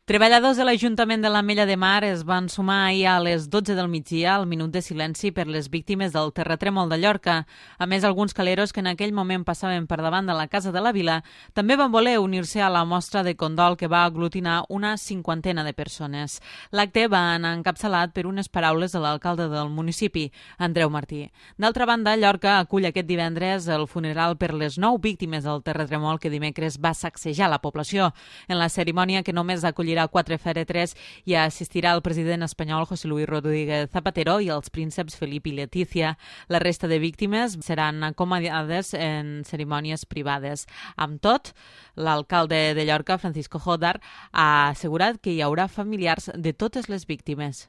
Treballadors de l'Ajuntament de l'Ametlla de Mar es van sumar ahir a les 12 del migdia al minut de silenci per les víctimes del terratrèmol de Llorca. A més, alguns caleros que en aquell moment passaven per davant de la Casa de la Vila també van voler unir-se a la mostra de condol que va aglutinar una cinquantena de persones. L'acte va anar encapçalat per unes paraules de l'alcalde del municipi, Andreu Martí. D'altra banda, Llorca acull aquest divendres el funeral per les 9 víctimes del terratrèmol que dimecres va sacsejar la població. En la cerimònia, que només acollirà 4 fèretres, hi assistirà el president espanyol José Luis Rodríguez Zapatero i els prínceps Felip i Letícia. La resta de víctimes seran acomiadades en cerimònies privades. Amb tot, l'alcalde de Llorca, Francisco Jodar, ha assegurat que hi haurà familiars de totes les víctimes.